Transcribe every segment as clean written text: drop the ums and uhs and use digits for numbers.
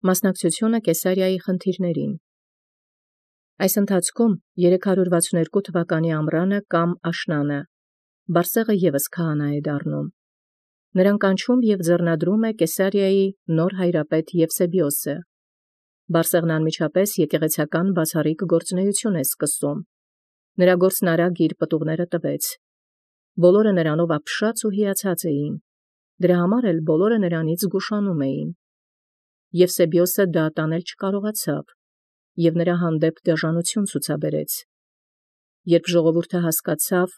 Մասնակցությունը Կեսարիայի խնդիրներին։ Այս ընթացքում 362 թվականի ամռանը կամ աշնանը Բարսեղը ևս քահանա է դառնում։ Նրան կանչում և ձեռնադրում է Կեսարիայի նոր հայրապետ Եվսեբիոսը։ Բարսեղն անմիջապես եկեղեցական բացառիկ գործունեություն է սկսում։ Նրա գործն արագ իր պտուղները տվեց։ Բոլորը նրանով ապշած ու հիացած էին։ Դրա համար էլ բոլորը նրանից զգուշանում էին։ Եվսեբիոսը դա տանել չկարողացավ և նրա հանդեպ դաժանություն ցուցաբերեց։ Երբ ժողովուրդը հասկացավ,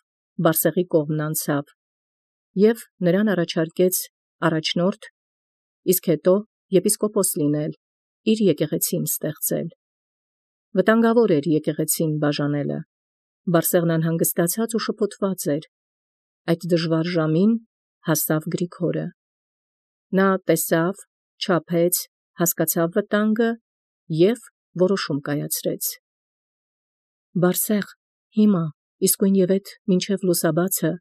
Բարսեղի կողմն անցավ և նրան առաջարկեց առաջնորդ, իսկ հետո եպիսկոպոս լինել, իր եկեղեցին ստեղծել։ Վտանգավոր էր եկեղեցին բաժանելը։ Բարսեղն անհանգստացած ու շփոթված էր։ Այդ դժվար ժամին հասավ Գրիգորը։ Նա տեսավ, չափեց, հասկացավ վտանգը և որոշում կայացրեց։ Բարսեղ, հիմա, իսկույն և էդ մինչև լուսաբացը,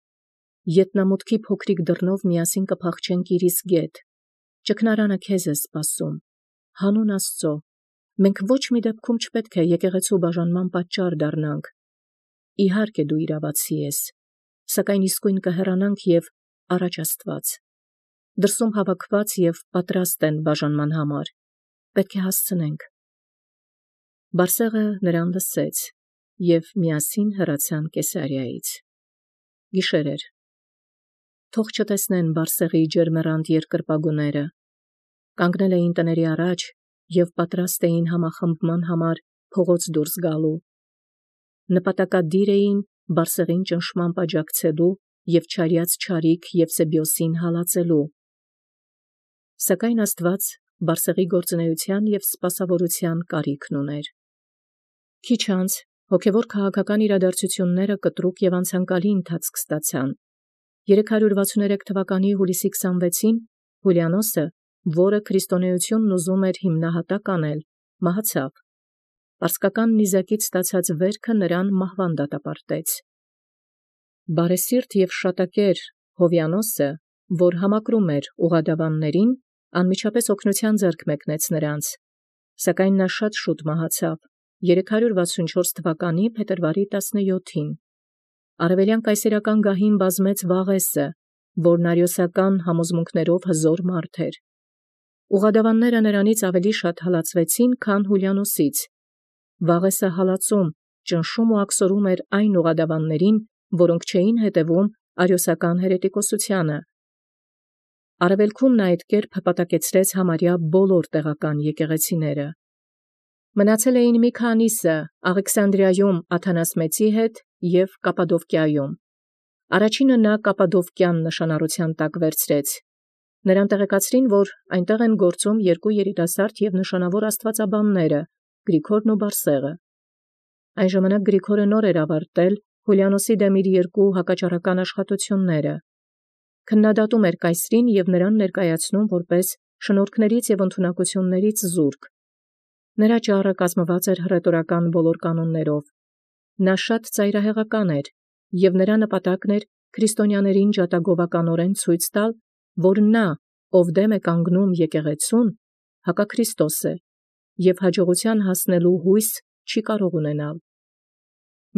ետնամուտքի փոքրիկ դռնով միասին կփախչենք իր իսկ գետ։ Ճգնարանը քեզ է սպասում։ Հանուն Աստծո, մենք ոչ մի դեպքում չպետք է եկեղեցու բաժանման պատճառ դառնանք։ Իհարկե դու իրավացի ես, սակայն իսկույն կհեռանանք և առաջ Աստված։ Դրսում հավաքված և պատրաստ են բաժանման համար։ Պետք է հասցնենք։ Բարսեղը նրան լսեց և միասին հեռացան Կեսարիայից։ Գիշեր էր։ Թող չտեսնեն Բարսեղի ջերմեռանդ երկրպագուները։ Կանգնել էին տների առաջ և պատրաստ էին համախմբման համար փողոց դուրս գալու։ Նպատակադիր էին Բարսեղին ճնշմամբ աջակցելու և չարյաց չարիք Եվսեբիոսին հալածելու։ Սակայն Աստված Բարսեղի գործունեության և սպասավորության կարիքն ուներ։ Քիչ անց հոգևոր քաղաքական իրադարձությունները կտրուկ և անցանկալի ընթացք ստացան։ 363 թվականի հուլիսի 26-ին Հուլիանոսը, որը քրիստոնեությունն ուզում էր հիմնահատակ անել, մահացավ։ Պարսկական նիզակից ստացած վերքը նրան մահվան դատապարտեց։ Բարեսիրտ և շատակեր Հովյանոսը, որ համակրում էր ուղղադավաններին, անմիջապես օգնության ձեռք մեկնեց նրանց, սակայն նա շատ շուտ մահացավ 364 թվականի փետրվարի 17-ին։ Արևելյան կայսերական գահին բազմեց Վաղեսը, որն արիոսական համոզմունքներով հզոր մարդ էր։ Ուղղադավանները նրանից ավելի շատ հալածվեցին, քան Հուլիանոսից։ Վաղեսը հալածում, ճնշում ու աքսորում էր այն ուղղադավաններին, որոնք չէին հետևում արիոսական հերետիկոսությանը։ Արևելքում նա այդ կերպ հպատակեցրեց համարյա բոլոր տեղական եկեղեցիները։ Մնացել էին մի քանիսը Աղեքսանդրիայում Աթանաս Մեծի հետ և Կապադովկիայում։ Առաջինը նա Կապադովկյան նշանառության տակ վերցրեց։ Նրան տեղեկացրին, որ այնտեղ են գործում երկու երիտասարդ և նշանավոր աստվածաբանները՝ Գրիգորն ու Բարսեղը։ Այն ժամանակ Գրիգորը նոր էր ավարտել Հուլիանոսի դեմ իր երկու հակաճառական աշխատությունները։ Քննադատում էր կայսրին և նրան ներկայացնում որպես շնորհքներից և ընդունակություններից զուրկ։ Նրա ճառը կազմված էր հռետորական բոլոր կանոններով։ Նա շատ ծայրահեղական էր, և նրա նպատակն էր քրիստոնյաներին ջատագովականորեն ցույց տալ, որ նա, ով դեմ է կանգնում եկեղեցուն, հակաքրիստոս է և հաջողության հասնելու հույս չի կարող ունենալ։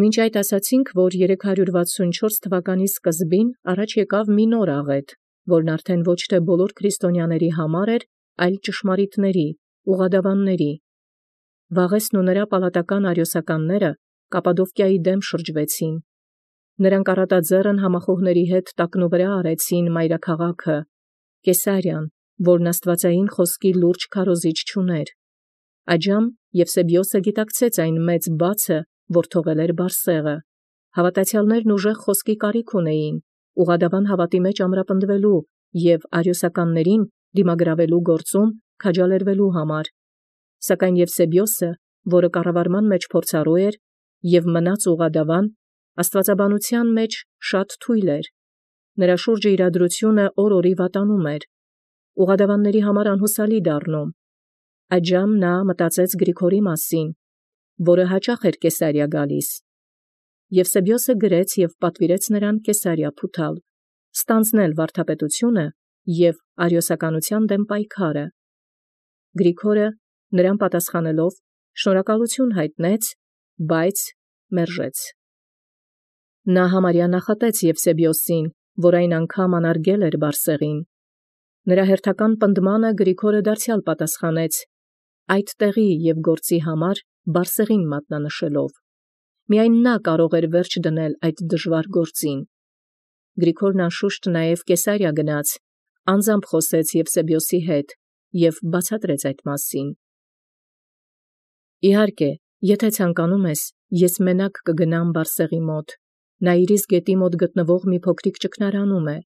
Մինչ այդ ասացինք, որ 364 թվականի սկզբին առաջ եկավ մի նոր աղետ, որն արդեն ոչ թե բոլոր քրիստոնյաների համար էր, այլ ճշմարիտների, ուղղադավանների։ Վաղեսն ու նրա պալատական արիոսականները Կապադովկիայի դեմ շրջվեցին։ Նրանք առատաձեռն համախոհների հետ տակնուվրա արեցին մայրաքաղաքը, Կեսարիան, որն աստվածային խոսքի լուրջ քարոզիչ չուներ։ Այժմ Եվսեբիոսը գիտակցեց այն մեծ բացը, որ թողել էր Բարսեղը։ Հավատացյալներն ուժեղ խոսքի կարիք ունեին, ուղղադավան հավատի մեջ ամրապնդվելու և արիոսականներին դիմագրավելու գործում քաջալերվելու համար։ Սակայն Եվսեբիոսը, որը կառավարման մեջ փորձառու էր և մնաց ուղղադավան, աստվածաբանության մեջ շատ թույլ էր։ Նրա շուրջը իրադրությունը օր-օրի վատանում էր, ուղղադավանների համար անհուսալի դառնում։ Այժմ նա մտածեց Գրիգորի մասին, որը հաճախ էր Կեսարիա գալիս։ Եվսեբիոսը գրեց և պատվիրեց նրան Կեսարիա փութալ, ստանձնել վարդապետությունը և արիոսականության դեմ պայքարը։ Գրիգորը նրան պատասխանելով շնորհակալություն հայտնեց, բայց մերժեց։ Նա համարյա նախատեց Եվսեբիոսին, որ այն անգամ անարգել էր Բարսեղին։ Նրա հերթական պնդմանը Գրիգորը դարձյալ պատասխանեց այդ տեղի և գործի համար Բարսեղին մատնանշելով։ Միայն նա կարող էր վերջ դնել այդ դժվար գործին։ Գրիգորն անշուշտ նաև Կեսարիա գնաց, անձամբ խոսեց Եվսեբիոսի հետ և բացատրեց այդ մասին։ Իհարկե, եթե ցանկանում ես, ես մենակ կգնամ Բարսեղի մոտ։ Նա Իրիս գետի մոտ գտնվող մի փոքրիկ ճգնարանում է։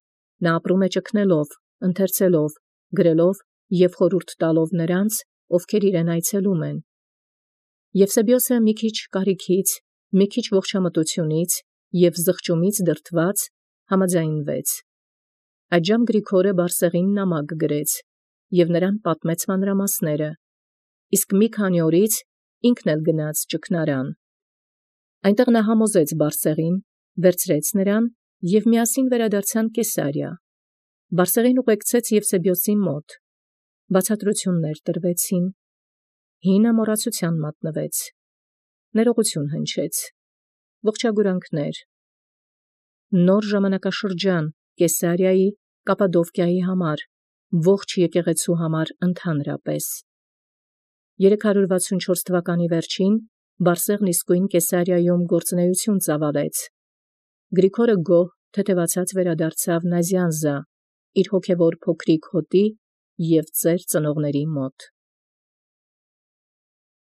Նա ապրում է ճգնելով, ընթերցելով, գրելով և խորհուրդ տալով նրանց, ովքեր իրեն այցելում են։ Եվսեբիոսը մի քիչ կարիքից, մի քիչ ողջամտությունից և զղջումից դրդված համաձայնվեց։ Այդժամ Գրիգորը Բարսեղին նամակ գրեց և նրան պատմեց մանրամասները, իսկ մի քանի օրից ինքն էլ գնաց ճգնարան։ Այնտեղ նա համոզեց Բարսեղին, վերցրեց նրան և միասին վերադարձան Կեսարիա։ Բարսեղին ուղեկցեց Եվսեբիոսի մոտ։ Բացատրություններ տրվեցին։ Հինը մոռացության մատնվեց։ Ներողություն հնչեց։ Ողջագուրանքներ։ Նոր ժամանակաշրջան Կեսարիայի, Կապադովկիայի համար, ողջ եկեղեցու համար ընդհանրապես։ 364 թվականի վերջին Բարսեղն իսկույն Կեսարիայում գործունեություն ծավալեց։ Գրիգորը գոհ թեթևացած վերադարձավ Նազյանզա, իր հոգևոր փոքրիկ հոտի և ծեր ծնողների մոտ։